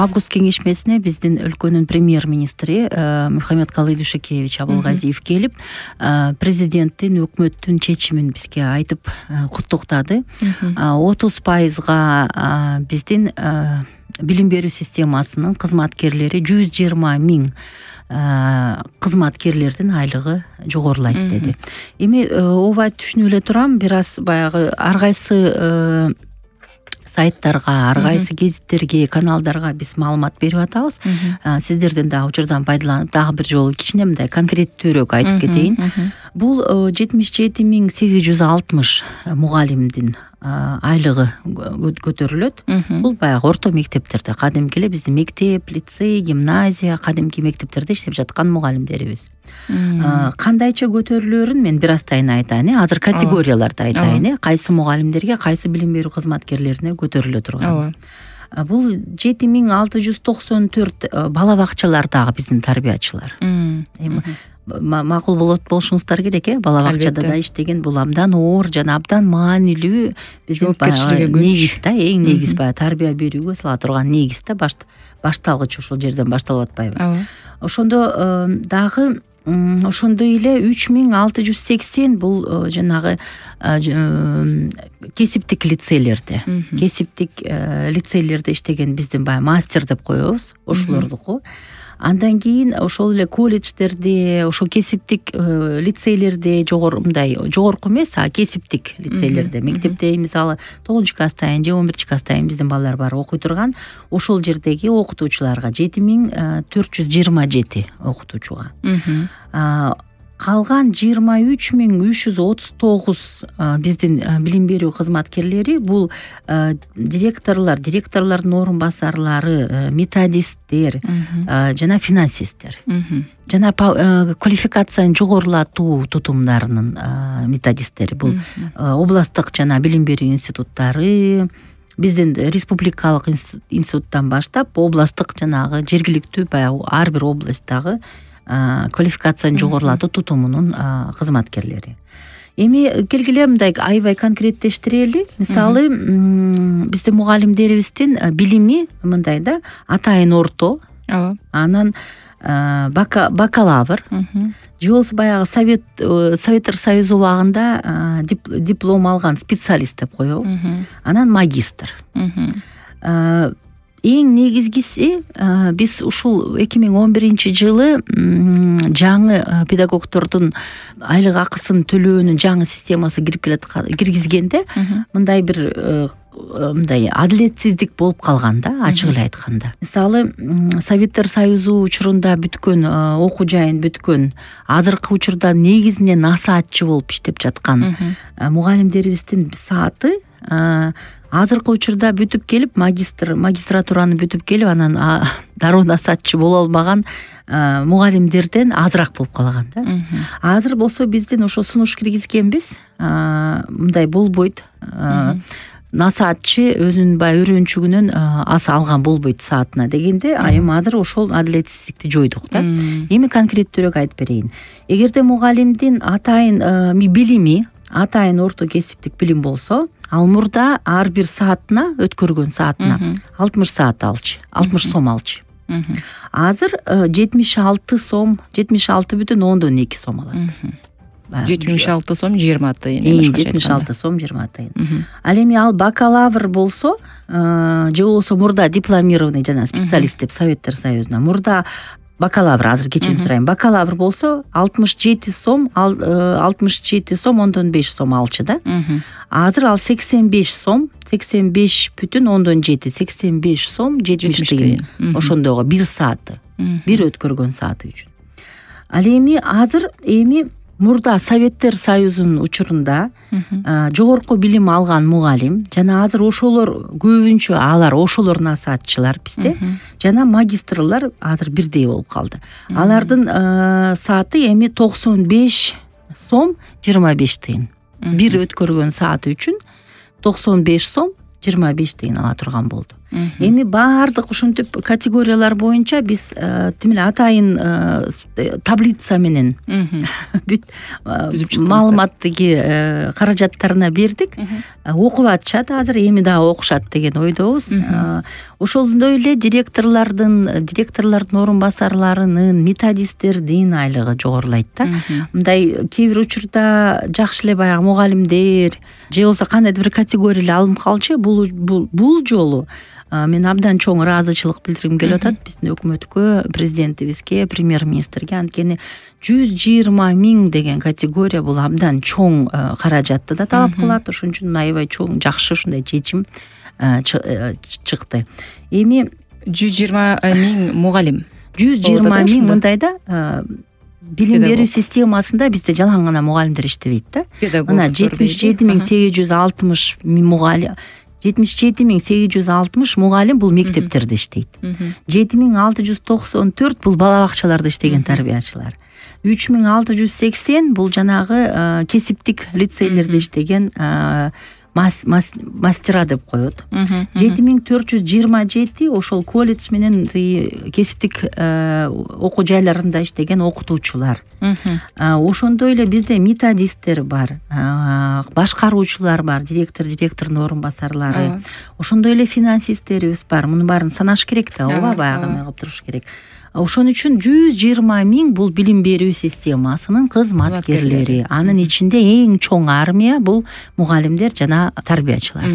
август кеңешмесине биздин өлкөнүн премьер-министри Мухаммедкалый Дүйшөкеевич Абылгазиев келип, президенттин, өкмөттүн чечимин бизге айтып куттуктады. 30% биздин билим берүү системасынын кызматкерлери 120 миң кызматкерлердин айлыгы жогорулайт деди. Эми ооба түшүнүп эле турам, бир аз баягы ар кайсы сайттарга, ар кайсы гезиттерге, каналдарга биз маалымат берип атабыз. Сиздерден дагы учурдан пайдаланып, дагы бир жолу кичине мындай конкреттүүрөөк айтып кетейин. Бул 77.860 мугалимдин айлыгы көтөрүлөт. Бул баягы орто мектептерде, кадимки эле биздин мектеп, лицей, гимназия, кадимки мектептерде иштеп жаткан мугалимдерибиз. Кандайча көтөрүлөөрүн мен бир азтайын айтайын. Азыр категорияларды айтайын. Кайсы мугалимдерге, кайсы билим берүү кызматкерлерине көтөрүлө турган. Бул 7694 бала бакчалардагы биздин тарбиячылар. Макул болушуңуздар керек, бала бакчада да иштеген, бул абдан оор жана абдан маанилүү биздин негиз да, эң негиз баягы тарбия берүүгө сала турган негиз да, башталгыч ушул жерден башталып атпайбы? Ошондо дагы ошондой эле 3680 бул жанагы кесиптик лицейлерде, кесиптик лицейлерде иштеген биздин баягы мастер деп коебуз, ошолордуку. Андан кийин ошол эле колледждерде, ошо кесиптик лицейлерде, жогорку эмес, кесиптик лицейлерде, мектепте мисалы 9-класстайын же 11-класстайын биздин балдар бар окуй турган, ошол жердеги окутуучуларга 7427 окутуучуга. Калган 23339 биздин билим берүү кызматкерлери бул директорлордун орун басарлары, методисттер жана финансисттер. Жана квалификацияны жогорулатуу тутумдарынын методисттери. Бул областтык жана билим берүү институттары, биздин республикалык институттан баштап областтык жанагы жергиликтүү баягы ар бир областтагы квалификацияны жогорулатуу тутумунун кызматкерлери. Эми келгиле мындай аябай конкреттештирели. Мисалы, биздин мугалимдерибиздин билими мындай да, атайын орто, анан бакалавр, же болбосо баягы Советтер Союзу убагында диплом алган специалист деп коебуз. Анан магистр. Эң негизгиси биз ушул 2011-жылы жаңы педагогдордун айлык акысын төлөөнүн жаңы системасы киргизгенде мындай бир мындай адилетсиздик болуп калган да, ачык эле айтканда. Мисалы, Советтер Союзу учурунда бүткөн, окуу жайын бүткөн, азыркы учурда негизинен насаатчы болуп иштеп жаткан мугалимдерибиздин сааты азыркы учурда бүтүп келип, магистратураны бүтүп келип, анан дароо насаатчы боло албаган мугалимдерден азыраак болуп калган да. Азыр болсо биздин ошо сунуш киргизгенбиз, мындай болбойт. Насаатчы өзүнүн баягы үйрөнчүгүнөн аз алган болбойт саатына дегенде, эми азыр ошол адилетсиздикти жойдук да. Эми конкреттүүрөөк айтып берейин. Эгерде мугалимдин атайын билими, атайын орто кесиптик билим болсо, ал мурда ар бир саатына, өткөргөн саатына 60 саат алчу, 60 сом алчу. Азыр 76 сом, 76,2 сом алат. 76 сом 20 тыйын. 76 сом 20 тыйын. Ал эми ал бакалавр болсо, же болбосо мурда дипломированный жана специалист деп Советтер Союзуна, мурда бакалавр, азыр кечирим сурайм, бакалавр болсо 67 сом, 67 сом 5 сом алчу да. Азыр ал 85 сом, 85,7, 85 сом 70 тыйын. Ошондойго бир сааты, бир өткөргөн сааты үчүн. Ал эми азыр мурда Советтер Союзунун учурунда жогорку билим алган мугалим жана азыр ошолор көбүнчө ошолор насаатчылар бизде жана магистрлар азыр бирдей болуп калды. Алардын сааты эми 95 сом 25 тыйын. Бир өткөргөн сааты үчүн 95 сом 25 тыйын ала турган болду. Эми баардык ушинтип категориялар боюнча биз тим эле атайын таблица менен бүт маалыматтыги каражаттарына бердик. Окуп атышат азыр, эми дагы окушат деген ойдобуз. Ошондой эле директорлордун орун басарларынын, методисттердин айлыгы жогорулайт да. Мындай кээ бир учурда жакшы эле баягы мугалимдер же болбосо кандайдыр бир категория эле алынып калчу. Бул жолу мен абдан чоң ыраазычылык билдиргим келип атат биздин өкмөткө, президентибизге, премьер-министрге. Анткени 120 000 деген категория бул абдан чоң каражатты да талап кылат. Ошон үчүн аябай чоң, жакшы ушундай чечим чыкты. Эми 120 000 мугалим, 120 000 мындай да билим берүү системасында бизде жалаң гана мугалимдер иштебейт да. Мына 77 860 мугалим, 77 860 мугалим бул мектептерде иштейт. 7694 бул бала бакчаларда иштеген тарбиячылар. 3680 бул жанагы кесиптик лицейлерде иштеген мастера деп коет. 7427 ошол колледж менен кесиптик окуу жайларында иштеген окутуучулар. Ошондой эле бизде методисттер бар, башкаруучулар бар, директордун орун басарлары. Ошондой эле финансисттерибиз бар. Мунун баарын санаш керек да, ооба, баягы кылып туруш керек. Ошон үчүн 120 000 бул билим берүү системасынын кызматкерлери. Анын ичинде эң чоң армия бул мугалимдер жана тарбиячылар.